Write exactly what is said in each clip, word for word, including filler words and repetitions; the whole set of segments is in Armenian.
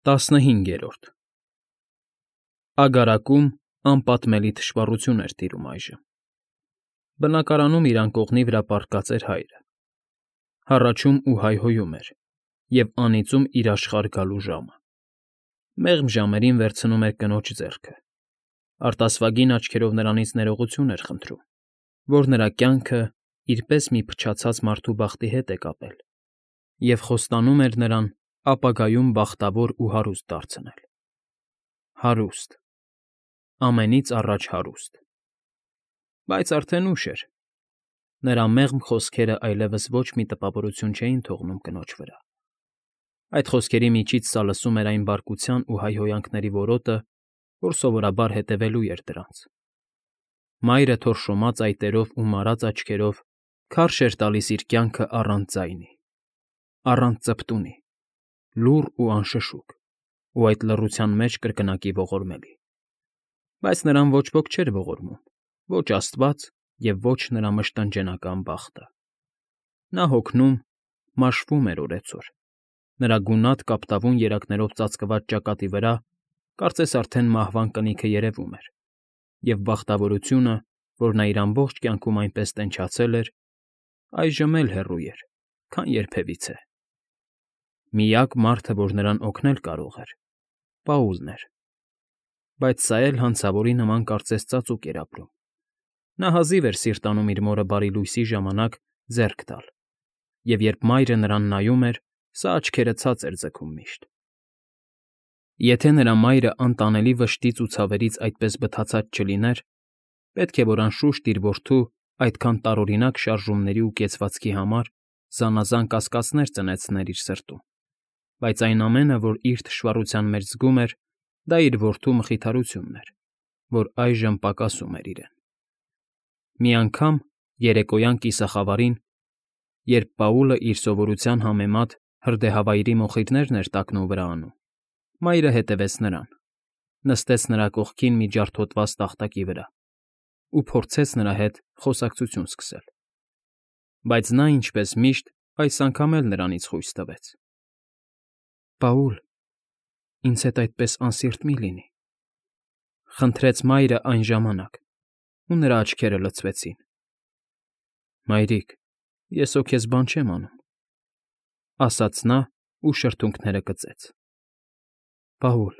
ՏԱՍՆՀԻՆԳԵՐՈՐԴ Ագարակում անպատմելի թշվառություն էր տիրում այժմ. բնակարանում իր անկողնի վրա պառկած էր հայրը, հառաչում ու հայհոյում էր և անիծում իր աշխարհ գալու ժամը, մեղմ ժամերին վերցնում էր կնոջ ձեռքը, արտասվագին աչքերով նրանից ներողություն էր խնդրում, որ նրա կյանքը իր պես մի փչացած մարդու բախտի հետ է կապել և խոստանում էր նրան ապագայում բախտավոր ու հարուստ դարձնել… Հարուստ… Ամենից առաջ հարուստ… Բայց արդեն ուշ էր… Նրա մեղմ խոսքերն այլևս ոչ մի տպավորություն չէին թողնում կնոջ վրա… Այդ խոսքերի միջից սա լսում էր այն բարկության ու հայհոյանքների որոտը, որ սովորաբար հետևելու էր դրանց… Մայրը թորշոմած այտերով ու մարած աչքերով քարշ էր տալիս իր կյանքը առանց ձայնի, առանց ծպտունի, լուռ ու անշշուկ ու այդ լռության մեջ կրկնակի ողորմելի… Բայց նրան ոչ ոք չէր ողորմում, ոչ աստված և ոչ նրա մշտնջենական բախտը… Նա հոգնում, մաշվում էր օրեցօր, նրա գունատ կապտավուն երակներով ծածկված ճակատի վրա կարծես արդեն մահվան կնիքը երևում էր, և բախտավորությունը, որ նա իր ամբողջ կյանքում այնպես տենչացել էր, այժմ էլ հեռու էր, քան երբևիցե… Միակ մարդը, որ նրան օգնել կարող էր, Պաուլն էր… Բայց սա էլ հանցավորի նման կարծես ծածուկ էր ապրում… Նա հազիվ էր սիրտ անում իր մորը բարի լույսի ժամանակ ձեռք տալ, և երբ մայրը նրան նայում էր, սա աչքերը ցած էր ձգում միշտ… Եթե նրա մայրը անտանելի վշտից ու ցավերից այդպես բթացած չլիներ, պետք է որ անշուշտ իր որդու այդքան տարօրինակ շարժումների ու կեցվածքի համար զանազան կասկածներ ծնեցներ իր սրտում, բայց այն ամենը, որ իր թշվառության մեջ զգում էր, դա իր որդու մխիթարությունն էր, որ այժմ պակասում էր իրեն… Մի անգամ, երեկոյան կիսախավարին, երբ Պաուլը իր սովորության համեմատ հրդեհավայրի մոխիրներն էր տակնուվրա անում, մայրը հետևեց նրան, նստեց նրա կողքին մի ջարդոտված տախտակի վրա ու փորձեց նրա հետ խոսակցություն սկսել… Բայց նա, ինչպես միշտ, այս անգամ էլ նրանից խույս տվեց. ֊ Պաուլ, ինձ հետ այդպես անսիրտ մի՛ լինի, ֊ խնդրեց մայրը այն ժամանակ, ու նրա աչքերը լցվեցին… ֊ Մայրիկ, ես հո քեզ բան չեմ անում, ֊ ասաց նա ու շրթունքները կծեց… ֊ Պաուլ,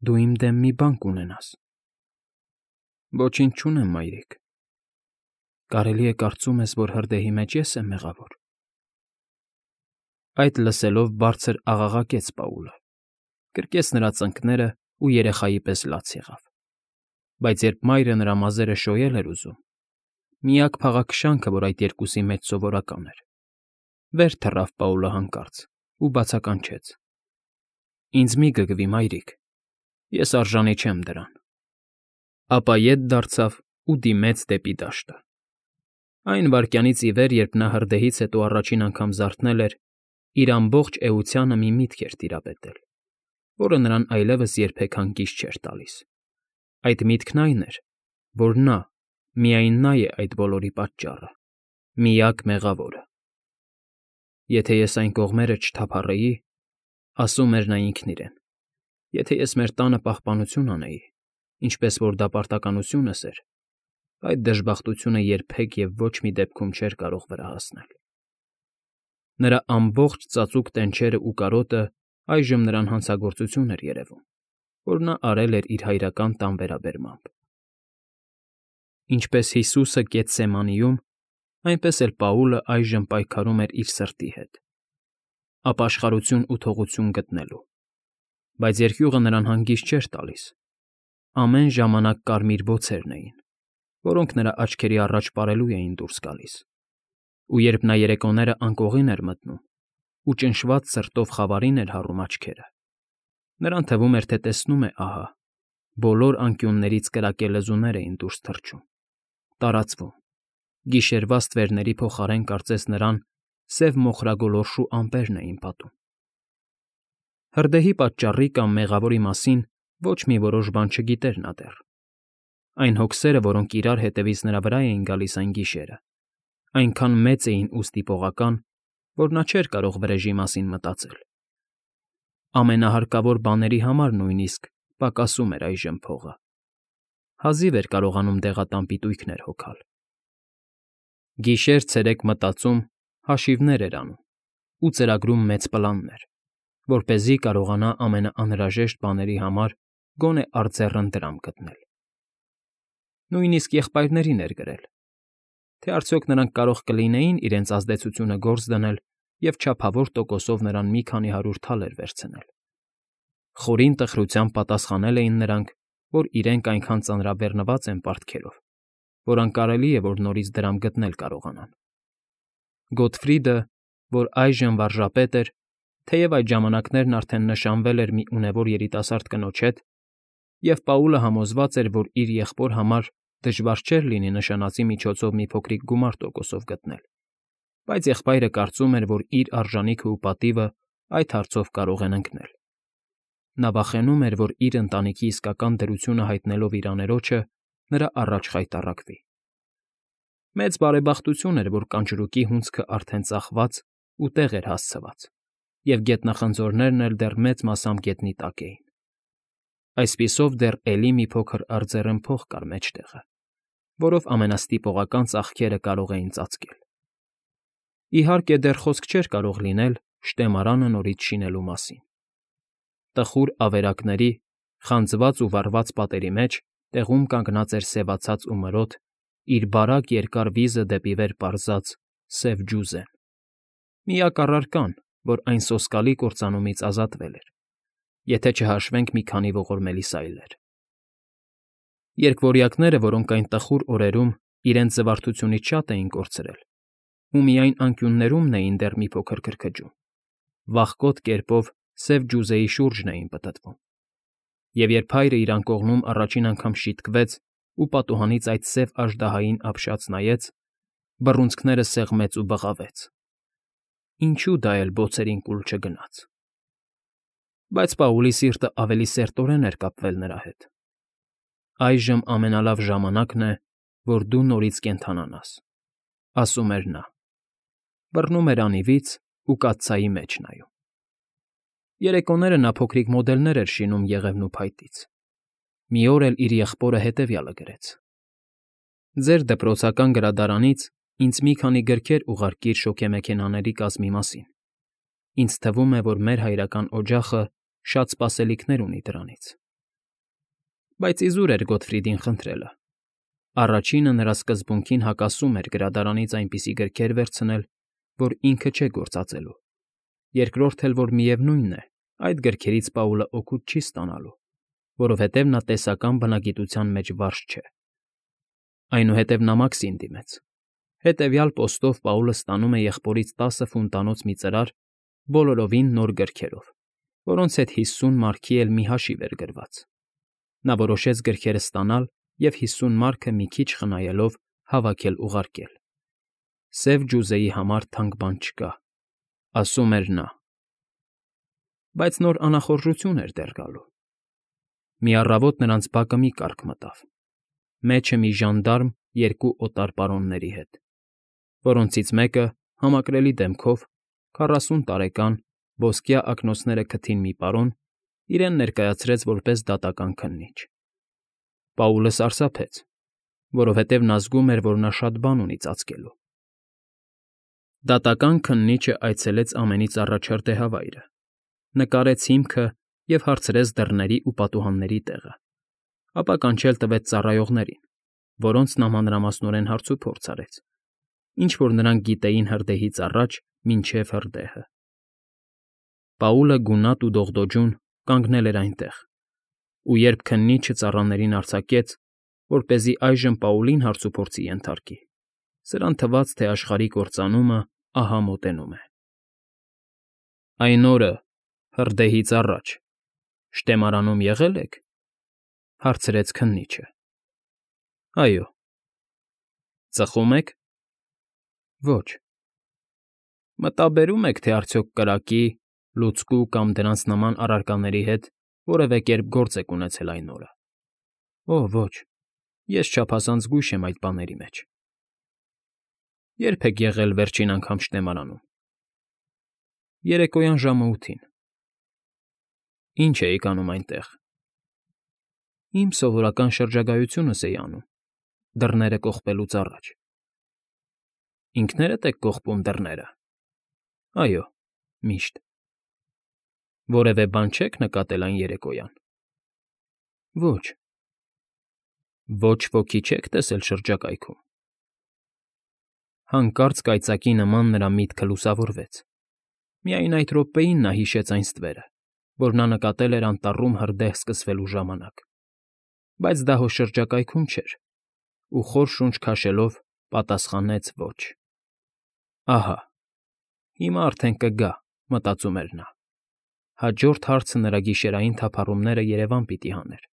դու իմ դեմ մի բան կունենաս… ֊ Ոչինչ չունեմ, մայրիկ… Կարելի է կարծում ես, որ հրդեհի մեջ ես եմ մեղավոր… Այդ լսելով բարձր աղաղակեց Պաուլը, կրկեց նրա ծնկներն ու երեխայի պես լաց եղավ… Բայց երբ մայրը նրա մազերը շոյել էր ուզում, միակ փաղաքշանքը, որ այդ երկուսի մեջ սովորական էր, վեր թռավ Պաուլը հանկարծ ու բացականչեց. ֊ Ինձ մի՛ գգվի, մայրիկ, ես արժանի չեմ դրան… Ապա ետ դարձավ ու դիմեց դեպի դաշտը… Այն վայրկյանից ի վեր, երբ նա հրդեհից հետո առաջին անգամ զարթնել էր, իր ամբողջ էությանը մի միտք էր տիրապետել, որը նրան այլևս երբեք հանգիստ չէր տալիս… Այդ միտքն այն էր, որ նա, միայն նա է այդ բոլորի պատճառը, միակ մեղավորը… «Եթե ես այն կողմերը չթափառեի, ֊ ասում էր նա ինքն իրեն, ֊ եթե ես մեր տանը պահպանություն անեի, ինչպես որ դա պարտականությունս էր, այդ դժբախտությունը երբեք և ոչ մի դեպքում չէր կարող վրա հասնել…» Նրա ամբողջ ծածուկ տենչերն ու կարոտը այժմ նրան հանցագործություն էր երևում, որ նա արել էր իր հայրական տան վերաբերմամբ… Ինչպես Հիսուսը Գեթսեմանիում, այնպես էլ Պաուլը այժմ պայքարում էր իր սրտի հետ, ապաշխարություն ու թողություն գտնելու… Բայց երկյուղը նրան հանգիստ չէր տալիս… Ամեն ժամանակ կարմիր բոցերն էին, որոնք նրա աչքերի առաջ պարելու էին դուրս գալիս… Ու երբ նա երեկոները անկողին էր մտնում ու ճնշված սրտով խավարին էր հառում աչքերը, նրան թվում էր, թե տեսնում է ահա, բոլոր անկյուններից կրակե լեզուներ էին դուրս թռչում, տարածվում, գիշերվա ստվերների փոխարեն կարծես նրան սև մոխրագոլորշու ամպերն էին պատում… Հրդեհի պատճառի կամ մեղավորի մասին ոչ մի որոշ բան չգիտեր նա դեռ… Այն հոգսերը, որոնք իրար հետևից նրա վրա էին գալիս այն գիշերը, այնքան մեծ էին ու ստիպողական, որ նա չէր կարող վրեժի մասին մտածել… ամենահարկավոր բաների համար նույնիսկ պակասում էր այժմ փողը։ Հազիվ էր կարողանում դեղատան պիտույքներ հոգալ։ Գիշեր֊ցերեկ մտածում, հաշիվներ էր անում ու ծրագրում մեծ պլաններ, որպեսզի կարողանա ամենաանհրաժեշտ բաների համար գոնե արձեռն դրամ գտնել։ Նույնիսկ եղբայրներին էր գրել, թե արդյոք նրանք կարող կլինեին իրենց ազդեցությունը գործ դնել և չափավոր տոկոսով նրան մի քանի հարյուր թալեր վերցնել։ Խորին տխրությամբ պատասխանել էին նրանք, որ իրենք այնքան ծանրաբեռնված են պարտքերով, որ անկարելի է, որ նորից դրամ գտնել կարողանան։ Գոթֆրիդը, որ այժմ վարժապետ էր, թեև այդ ժամանակներն արդեն նշանվել էր մի ունևոր երիտասարդ կնոջ հետ, և Պաուլը համոզված էր, որ իր եղբոր համար դժվար չէր լինի նշանածի միջոցով մի փոքրիկ գումար տոկոսով գտնել, բայց եղբայրը կարծում էր, որ իր արժանիքն ու պատիվը այդ հարցով կարող են ընկնել։ Նա վախենում էր, որ իր ընտանիքի իսկական դրությունը հայտնելով իր աներոջը, նրա առաջ խայտառակվի։ Մեծ բարեբախտություն էր, որ կանչրուկի հունձքը արդեն ծախված ու տեղ էր հասցված, և գետնախնձորներն էլ դեռ մեծ մասամբ գետնի տակ էին։ Այսպիսով դեռ էլի մի փոքր արձեռն փող կար մեջտեղը, որով ամենաստիպողական ծախքերը կարող էին ծածկել։ Իհարկե, դեռ խոսք չէր կարող լինել շտեմարանը նորից շինելու մասին։ Տխուր ավերակների, խանձված ու վառված պատերի մեջ տեղում կանգնած էր սևացած ու մրոտ, իր բարակ երկար վիզը դեպի վեր պարզած սև ջուզեն, միակ առարկան, որ այն սոսկալի կործանումից ազատվել էր, եթե չհաշվենք մի քանի ողորմելի սայլեր։ Երկվորյակները, որոնք այն տխուր օրերում իրենց զվարթությունից շատ էին կորցրել, ու միայն անկյուններումն էին դեռ մի փոքր քրքջում, վախկոտ կերպով սև ջուզեի շուրջն էին պտտվում, և երբ հայրը իր անկողնում առաջին անգամ շիտկվեց ու պատուհանից այդ սև աժդահային ապշած նայեց, բռունցքները սեղմեց ու բղավեց. ինչու դա էլ բոցերին կուլ չգնաց։ Բայց Պաուլի սիրտը ավելի սերտորեն էր կապվել նրա հետ։ Այժմ ամենալավ ժամանակն է, որ դու նորից կենդանանաս, ասում էր նա։ Բռնում էր անիվից ու կաթսայի մեջ նայում։ Երեկոները նա փոքրիկ մոդելներ էր շինում եղևնու փայտից։ Մի օր էլ իր եղբորը հետևյալը գրեց. «Ձեր դպրոցական գրադարանից ինձ մի քանի գրքեր ուղարկիր շոգեմեքենաների կազմի մասին։ Ինձ թվում է, որ մեր հայրական օջախը շատ սպասելիքներ ունի դրանից»։ Բայց իզուր էր Գոթֆրիդին խնդրելը։ Առաջինը նրա սկզբունքին հակասում էր գրադարանից այնպիսի գրքեր վերցնել, որ ինքը չէ գործածելու, երկրորդ էլ, որ միևնույնն է, այդ գրքերից Պաուլը օգուտ չի ստանալու, որովհետև նա տեսական բնագիտության մեջ վարժ չէ։ Այնուհետև նա Մաքսին դիմեց։ Հետևյալ պոստով Պաուլը ստանում է եղբորից տասը ֆունտանոց մի ծրար բոլորովին նոր գրքերով, որոնց հետ հիսուն մարքի էլ մի հաշիվ էր գրված։ Նա որոշեց գրքերը ստանալ և հիսուն մարքը մի քիչ խնայելով հավաքել ուղարկել։ Սև ջուզեի համար թանկ բան չկա, ասում էր նա։ Բայց նոր անախորժություն էր դեռ գալու։ Մի առավոտ նրանց բակը մի կառք մտավ, մեջը մի ժանդարմ երկու օտար պարոնների հետ, որոնցից մեկը, համակրելի դեմքով, քառասուն տարեկան, ոսկյա ակնոցները քթին մի պարոն, իրեն ներկայացրեց որպես դատական քննիչ։ Պաուլը սարսափեց, որովհետև նա զգում էր, որ նա շատ բան ունի ծածկելու։ Դատական քննիչը այցելեց ամենից առաջ հրդեհավայրը, նկարեց հիմքը և հարցրեց դռների ու պատուհանների տեղը, ապա կանչել տվեց ծառայողներին, որոնց մանրամասնորեն հարցուփորձ արեց, ինչ֊որ նրանք գիտեին հրդեհից առաջ մինչև հրդեհը։ Պաուլը գունատ ու դողդոջուն կանգնել էր այնտեղ, ու երբ քննիչը ծառաներին արձակեց, որպեսզի այժմ Պաուլին հարցուփորձի ենթարկի, սրան թվաց, թե աշխարհի կործանումը ահա մոտենում է։ Այն օրը, հրդեհից առաջ, շտեմարանում եղե՞լ եք,֊ հարցրեց քննիչը։ Այո։ Ծխո՞ւմ եք։ Ոչ։ Մտաբերո՞ւմ եք, թե արդյոք կրակի, լուցկու կամ դրանց նման առարկաների հետ որևէ կերպ գործ եք ունեցել այն օրը։ Օ, ոչ, ես չափազանց զգույշ եմ այդ բաների մեջ։ Ե՞րբ եք եղել վերջին անգամ շտեմարանում։ Երեկոյան ժամը ութին։ Ինչ էիք անում այնտեղ։ Իմ սովորական շրջագայությունս էի անում, դռները կողպելուց առաջ։ Ինքներդ եք կողպում դռները։ Այո, միշտ։ Որևէ բան չեք նկատել այն երեկոյան։ Ոչ։ Ոչ ոքի չեք տեսել շրջակայքում։ Հանկարծ կայծակի նման նրա միտքը լուսավորվեց։ Միայն այդ րոպեին նա հիշեց այն ստվերը, որ նա նկատել էր անտառում հրդեհ սկսվելու ժամանակ, բայց դա հո շրջակայքում չէր, ու խոր շունչ քաշելով պատասխանեց ոչ։ Ահա, հիմա արդեն կգա, մտածում էր նա։ Հաջորդ հարցը նրա գիշերային թափառումները երևան պիտի հաներ,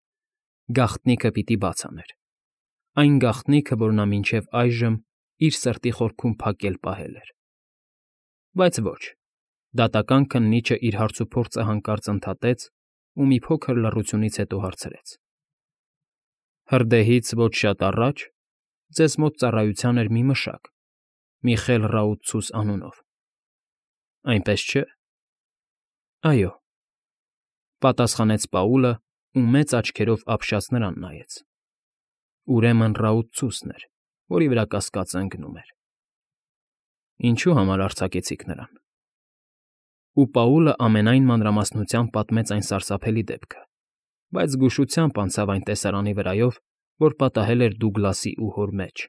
գաղտնիքը պիտի բաց աներ, այն գաղտնիքը, որ նա մինչև այժմ իր սրտի խորքում փակել պահել էր։ Բայց ոչ, դատական քննիչը իր հարցուփորձը հանկարծ ընդհատեց ու մի փոքր լռությունից հետո հարցրեց. Հրդեհից ոչ շատ առաջ ձեզ մոտ ծառայության էր մի մշակ, Միխել Ռաուտցուս անունով, այնպես չէ։ Այո, պատասխանեց Պաուլը ու մեծ աչքերով ապշած նրան նայեց։ Ուրեմն Ռաուտցուսն էր, որի վրա կասկածը ընկնում էր։ Ինչու համար արձակեցիք նրան։ Ու Պաուլը ամենայն մանրամասնությամբ պատմեց այն սարսափելի դեպքը, բայց զգուշությամբ անցավ այն տեսարանի վրայով, որ պատահել էր Դուգլասի ու հոր մեջ։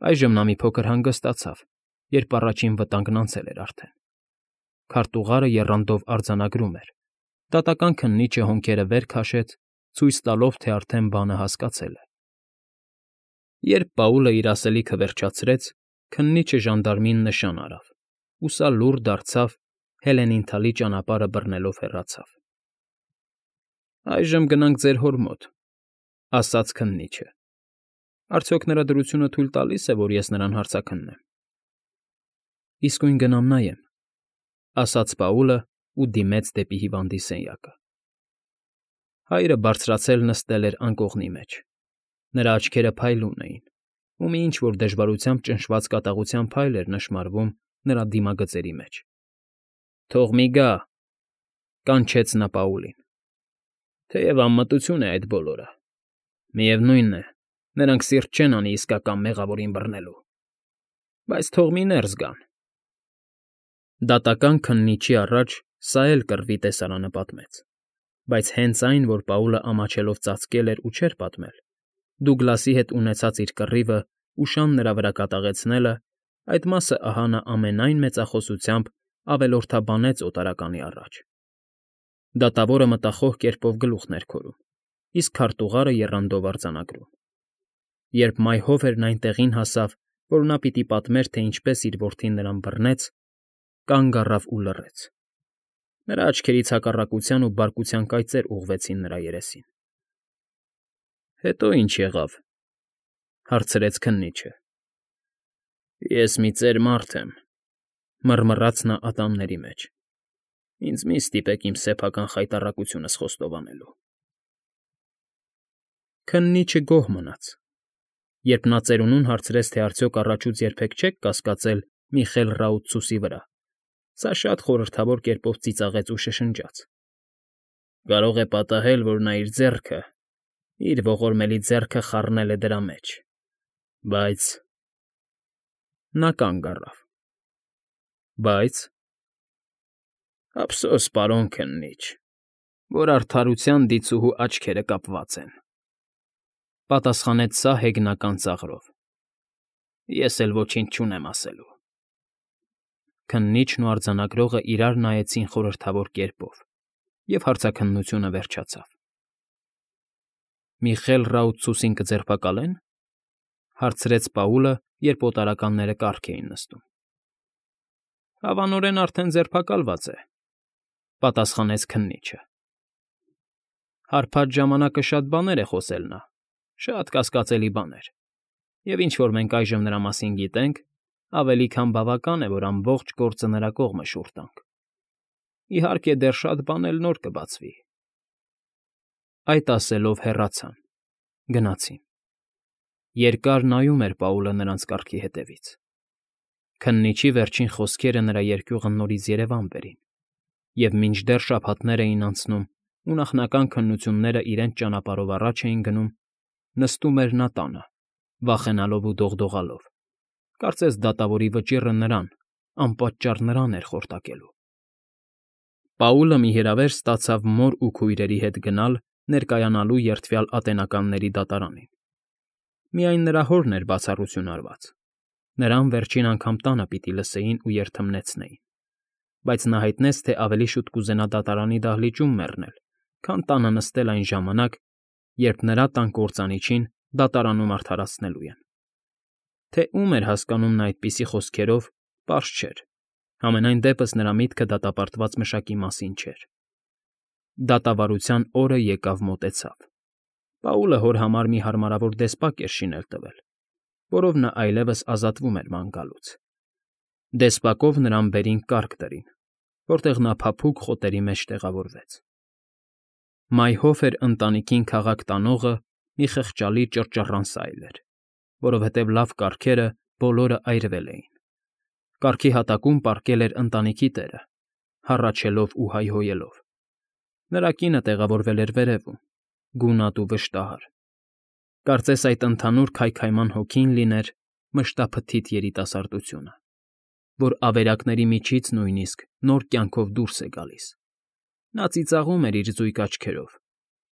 Այժմ նա մի փոքր հանգստացավ, երբ առաջին վտանգն անցել էր արդեն։ Քարտուղարը եռանդով արձանագրում էր։ Դատական քննիչը հոնքերը վեր քաշեց, ցույց տալով, թե արդեն բանը հասկացել է։ Երբ Պաուլը իր ասելիքը վերջացրեց, քննիչը ժանդարմին նշան արավ, ու սա լուռ դարձավ, Հելենին թալի ճանապարհը բռնելով հեռացավ։ Այժմ գնանք ձեր հոր մոտ, ասաց քննիչը։ Արդյոք նրա դրությունը թույլ տալի՞ս է, որ ես նրան հարցաքննեմ։ Իսկույն գնամ նայեմ, ասաց Պաուլը ու դիմեց դեպի հիվանդի սենյակը։ Հայրը բարձրացել նստել էր անկողնի մեջ։ Նրա աչքերը փայլուն էին, ու մի ինչ-որ դժվարությամբ ճնշված կատաղության փայլ էր նշմարվում նրա դիմագծերի մեջ։ Թող մի գա, կանչեց նա Պաուլին։ Թեև անմտություն է այդ բոլորը։ Միևնույն է, նրանք սիրտ չեն անի իսկական մեղավորին բռնելու։ Բայց թող մի ներս գան։ Դատական քննիչի առաջ սա էլ կռվի տեսարանը պատմեց, բայց հենց այն, որ Պաուլը ամաչելով ծածկել էր ու չէր պատմել, Դուգլասի հետ ունեցած իր կռիվը ու շան նրա վրա կատաղեցնելը, այդ մասը ահա նա ամենայն մեծախոսությամբ ավելորդաբանեց օտարականի առաջ։ Դատավորը մտախոհ կերպով գլուխն էր քորում, իսկ քարտուղարը եռանդով արձանագրում։ Երբ մայհով էր այն տեղին հասավ, որ նա պիտի պատմեր, թե ինչպես իր որդին նրան բռնեց, կանգ առավ ու լռեց։ Նրա աչքերից հակառակության ու բարկության կայծեր ուղղվեցին նրա երեսին։ Հետո ինչ եղավ, հարցրեց քննիչը։ Ես մի ծեր մարդ եմ, մռմռաց նա ատամների մեջ։ Ինձ մի ստիպեք իմ սեփական խայտառակությունս խոստովանելու։ Քննիչը գոհ մնաց։ Երբ նա ծերունուն հարցրեց, թե արդյոք առաջուց երբեք չեք կասկածել Միխել Ռաուտցուսի վրա, սա շատ խորհրդավոր կերպով ծիծաղեց ու շշնջաց։ Կարող է պատահել, որ նա իր ձեռքը, իր ողորմելի ձեռքը խառնել է դրա մեջ, բայց… Նա կանգ առավ։ Բայց… Ափսոս, պարոն քննիչ, որ արդարության դիցուհու աչքերը կապված են, պատասխանեց սա հեգնական ծաղրով։ Ես էլ ոչինչ չունեմ ասելու։ Քննիչն ու արձանագրողը իրար նայեցին խորհրդավոր կերպով, և հարցաքննությունը վերջացավ։ Միխել Ռաուտցուսին կձերբակալե՞ն, հարցրեց Պաուլը, երբ օտարականները կառք էին նստում։ Հավանորեն արդեն ձերբակալված է, պատասխանեց քննիչը։ Հարբած ժամանակը շատ բաներ է խոսել նա, շատ կասկածելի բաներ, և ինչ որ մենք այժմ նրա մասին գիտենք, ավելի քան բավական է, որ ամբողջ գործը նրա կողմը շուռ տանք։ Իհարկե, դեռ շատ բան էլ նոր կբացվի։ Այդ ասելով հեռացան, գնացին։ Երկար նայում էր Պաուլը նրանց կառքի հետևից։ Քննիչի վերջին խոսքերը նրա երկյուղը նորից երևան բերին, և մինչդեռ շաբաթներ էին անցնում, ու նախնական քննությունները իրենց ճանապարհով առաջ էին գնում, նստում էր նա տանը, վախենալով ու դողդողալով, կարծես դատավորի վճիռը նրան, անպատճառ նրան էր խորտակելու։ Պաուլը մի հրավեր ստացավ մոր ու քույրերի հետ գնալ ներկայանալու երդվյալ ատենականների դատարանին։ Միայն նրա հորն էր բացառություն արված. նրան վերջին անգամ տանը պիտի լսեին ու երդմնեցնեին, բայց նա հայտնեց, թե ավելի շուտ կուզենա դատարանի դահլիճում մեռնել, քան տանը նստել այն ժամանակ, երբ նրա տան կործանիչին դատարանում արդարացնելու են։ Թե ում էր հասկանում նա այդպիսի խոսքերով, պարզ չէր, համենայն դեպս նրա միտքը դատապարտված մշակի մասին չէր։ Դատավարության օրը եկավ մոտեցավ։ Պաուլը հոր համար մի հարմարավոր դեսպակ էր շինել տվել, որով նա այլևս ազատվում էր ման գալուց։ Դեսպակով նրան վերին կառք դրին, որտեղ նա փափուկ խոտերի մեջ տեղավորվեց։ Մայհով էր ընտանիքին քաղաք տանողը մի խղճալի ճռճռան սայլ էր, որովհետև լավ կառքերը բոլորը այրվել էին։ Կառքի հատակում պառկել էր ընտանիքի տերը, հառաչելով ու հայհոյելով։ Նրա կինը տեղավորվել էր վերևում, գունատ ու վշտահար։ Կարծես այդ ընդհանուր քայքայման հոգին լիներ մշտափթիթ երիտասարդությունը, որ ավերակների միջից նույնիսկ նոր կյանքով դուրս է գալիս։ Նա ծիծաղում էր իր զույգ աչքերով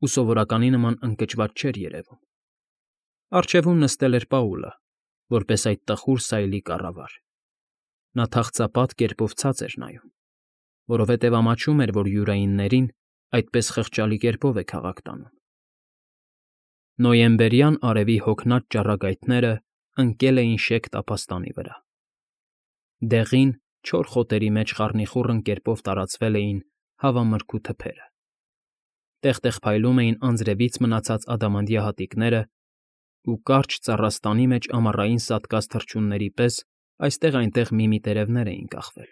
ու սովորականի նման ընկճված չէր երևում։ Առջևում նստել էր Պաուլը, որպես այդ տխուր սայլի կառավար։ Նա թախծապատ կերպով ցած էր նայում, որովհետև ամաչում էր, որ յուրայիններին այդպես խղճալի կերպով է քաղաք տանում։ Նոյեմբերյան արևի հոգնած ճառագայթները ընկել էին շեկ տափաստանի վրա։ Դեղին, չոր խոտերի մեջ խառնիխուռն կերպով տարածվել էին հավամրգու թփերը։ Տեղ֊տեղ փայլում էին անձրևից մնացած ադամանդյա հատիկները ու կարճ ծառաստանի մեջ ամառային սատկած թռչունների պես այստեղ֊այնտեղ մի-մի տերևներ էին կախվել։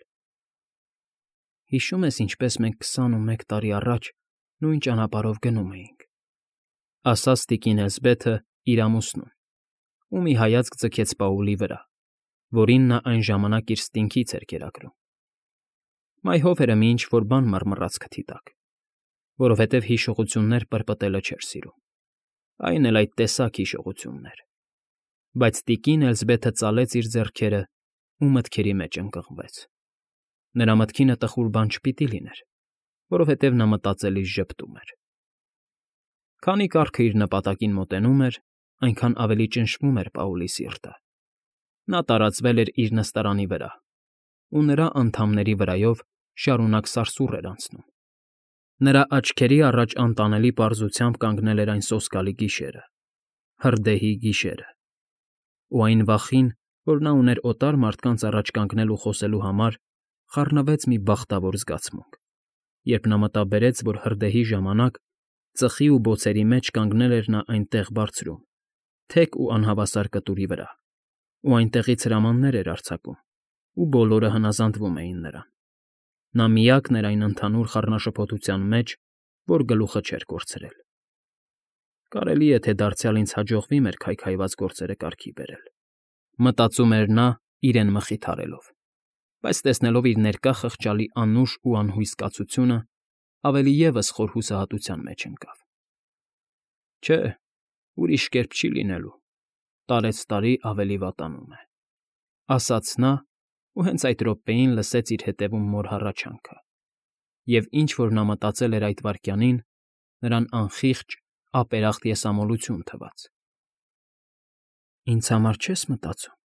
Հիշո՞ւմ ես, ինչպես մենք քսանումեկ տարի առաջ նույն ճանապարհով գնում էինք,֊ ասաց տիկին Էլզբեթը իր ամուսնուն, ու մի հայացք ձգեց Պաուլի վրա, որին նա այն ժամանակ իր ստինքից էր կերակրում։ Մայհով էր մի ինչ֊որ բան մռմռաց քթի տակ, որովհետև հիշողություններ պրպտելը չէր սիրում, այն էլ այդ տեսակ հիշողություններ։ Բայց տիկին Էլզբեթը ծալեց իր ձեռքերը ու մտքերի մեջ ընկղմվեց։ Նրա մտքինը տխուր բան չպիտի լիներ, որովհետև նա մտածելիս ժպտում էր։ Քանի կառքը իր նպատակին մոտենում էր, այնքան ավելի ճնշվում էր Պաուլի սիրտը։ Նա տարածվել էր իր նստարանի վրա, ու նրա անդամների վրայով շարունակ սարսուռ էր անցնում։ Նրա աչքերի առաջ անտանելի պարզությամբ կանգնել էր այն սոսկալի գիշերը, հրդեհի գիշերը, ու այն վախին, որ նա ուներ օտար մարդկանց առաջ կանգնել ու խոսելու համար, խառնվեց մի բախտավոր զգացմունք, երբ նա մտաբերեց, որ հրդեհի ժամանակ ծխի ու բոցերի մեջ կանգնել էր նա այնտեղ բարձրում, թեք ու անհավասար կտուրի վրա, ու այնտեղից հրամաններ էր արձակում, ու բոլորը հնազանդվում էին նրան։ Նա միակն էր այն ընդհանուր խառնաշփոթության մեջ, որ գլուխը չէր կորցրել։ Կարելի է, թե դարձյալ ինձ հաջողվի մեր քայքայված գործերը կարգի բերել, մտածում էր նա իրեն մխիթարելով, բայց տեսնելով իր ներկա խղճալի անուշ ու անհույս կացությունը, ավելի ևս խոր հուսահատության մեջ ընկավ։ Չէ, ուրիշ կերպ չի լինելու, տարեցտարի ավելի վատանում է,֊ ասաց նա, ու հենց այդ րոպեին լսեց իր ետևում մոր հառաչանքը, և ինչ որ նա մտածել էր այդ վայրկյանին, նրան անխիղճ, ապերախտ եսամոլություն թվաց։ «Ինձ համար չե՞ս մտածում,֊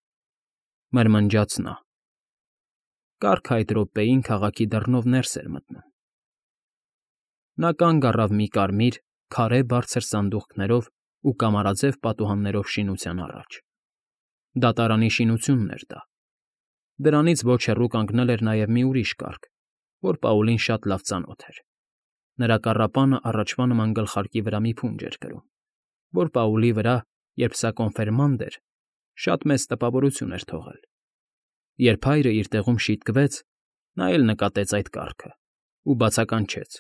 մրմնջաց նա։ Կառքը այդ րոպեին քաղաքի դռնով ներս էր մտնում։ Նա կանգ առավ մի կարմիր, քարե բարձր սանդուղքներով ու կամարաձև պատուհաններով շինության առաջ։ Դատարանի շինությունն էր դա։ Դրանից ոչ հեռու կանգնել էր նաև մի ուրիշ կառք, որ Պաուլին շատ լավ ծանոթ էր։ Նրա կառապանը առաջվա նման գլխարկի վրա մի փունջ էր կրում, որ Պաուլի վրա, երբ սա կոնֆիրմանդ էր, շատ մեծ տպավորություն էր թողել։ Երբ հայրը իր տեղում շիտկվեց, նա էլ նկատեց այդ կառքը ու բացականչեց.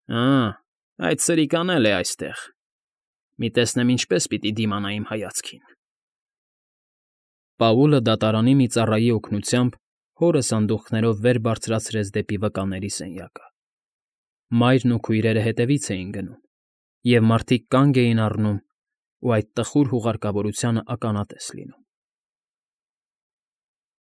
«Ա՜, այդ սրիկան էլ է այստեղ։ Մի տեսնեմ ինչպես պիտի դիմանա իմ հայացքին»։ Պաուլը դատարանի մի ծառայի օգնությամբ հորը սանդուղքներով վեր բարձրացրեց դեպի վկաների սենյակը։ Մայրն ու քույրերը հետևից էին գնում, և մարդիկ կանգ էին առնում ու այդ տխուր հուղարկավորությանը ականատես լինում։